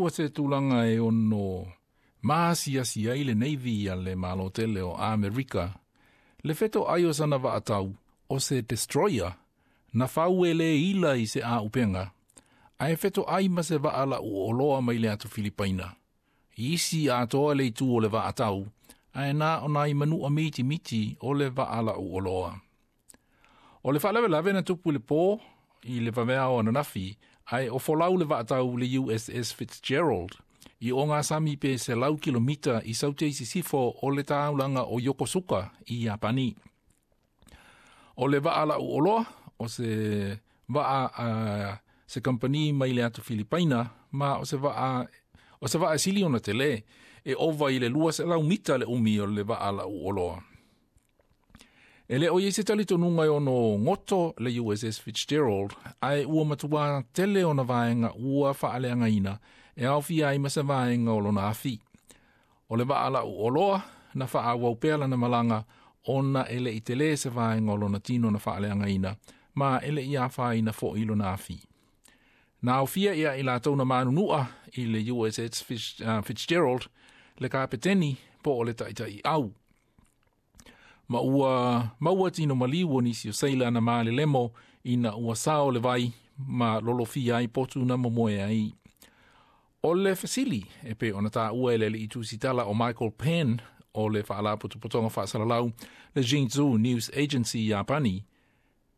Ua se tulaga e ono maasiasi ai le Navy a le Malo tele o Amerika le fetoai o sana vaatau o se destroyer na fau e le ila i se aupenga, ae fetoai ma se vaa lau oloa mai le atu Filipaina. Isi atoa le itu o le vaatau, ae na o nai manua mitimiti o le vaa lau oloa. O le faalavelave na tupu i le pō i le vaveao ananafi, ae o folau le vaatau le USS Fitzgerald i ogasami pe 100 kilomita i saute i sisifo o le taulaga o Yokosuka i Iapani. O le vaa lau oloa, o se vaa se kampani mai le atu Filipaina, ma o se vaa sili ona tele e ova i le 200 mita le umi o le vaa lau oloa. E le o i ai se talitonuga e ono goto le USS Fitzgerald, ae ua matua tele ona vaega ua faaleagaina e aofia ai ma se vaega o lona afi. O le vaa lau oloa na faaauau pea lana malaga ona e le i tele se vaega o lona tino na faaleagaina ma e le i afaina foi lona afi. Na aofia ia i latou na manunua i le USS Fitzgerald le kapeteni po o le taitai au. Ma ua maua tino maliu o nisi o seila na malelemo ina ua sao le vai ma lolofia ai potu na momoe ai. O le fesili e pei ona taua e le alii tusitala o Michael Penn o le faalapotopotoga faasalalau le Jinzhou News Agency Iapani,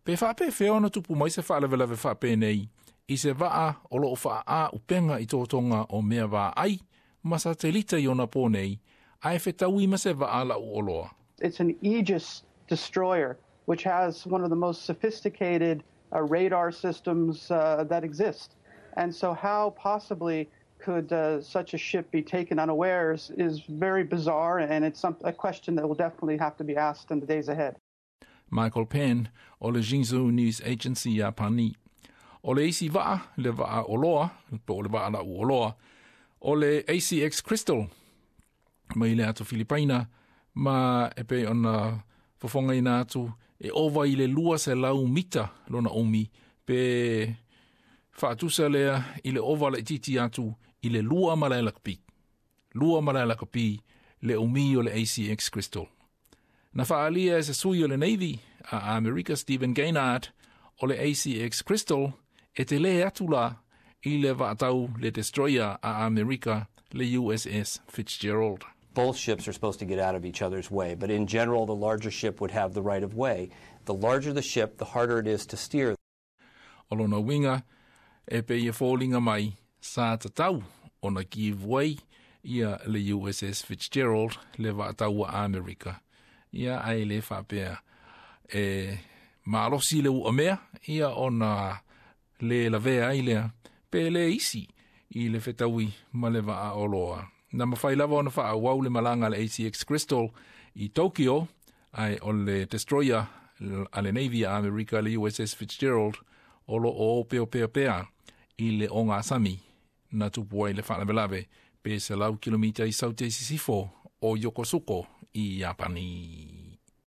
pe faapefea ona tupu mai se faalavelave faapenei i se vaa o loo faaaupenga i totoga o mea vaai ma satelita i ona pō nei, ae fetaui ma se vaa lau oloa. It's an Aegis destroyer, which has one of the most sophisticated radar systems that exist. And so, how possibly could such a ship be taken unawares is very bizarre, and it's a question that will definitely have to be asked in the days ahead. Michael Penn o le Jinzhou News Agency Iapani. O le isi vaa, le vaa oloa, po o le vaa lau oloa, o le ACX Crystal, mai le atu Filipaina, ma e pei ona fofogaina atu e ova i le 200 mita lona umi pe faatusa lea i le ova laititi atu i le 2 malae lakapi. 2 malae lakapi le umi o le ACX Crystal. Na faalia e se sui o le Navy a Amerika Stephen Gaynard o le ACX Crystal e tele atu la i le vaatau le destroyer a Amerika le USS Fitzgerald. Both ships are supposed to get out of each other's way, but in general, the larger ship would have the right of way. The larger the ship, the harder it is to steer. O lona uiga e pei e foliga mai sa tatau ona give way ia le USS Fitzgerald le vaatau a Amerika. Ia ae le faapea e malosi le uamea ia ona le lavea ai lea pe le isi i le fetaui ma le vaa oloa. Na mafai lava ona faaauau le malaga le ACX Crystal i Tokyo, ae o le destroyer a le Navy a Amerika le USS Fitzgerald o lo o peopea i le ogasami na tupu ai le faalavelave pe 100 kilomita i saute i sisifo o Yokosuka i Iapani.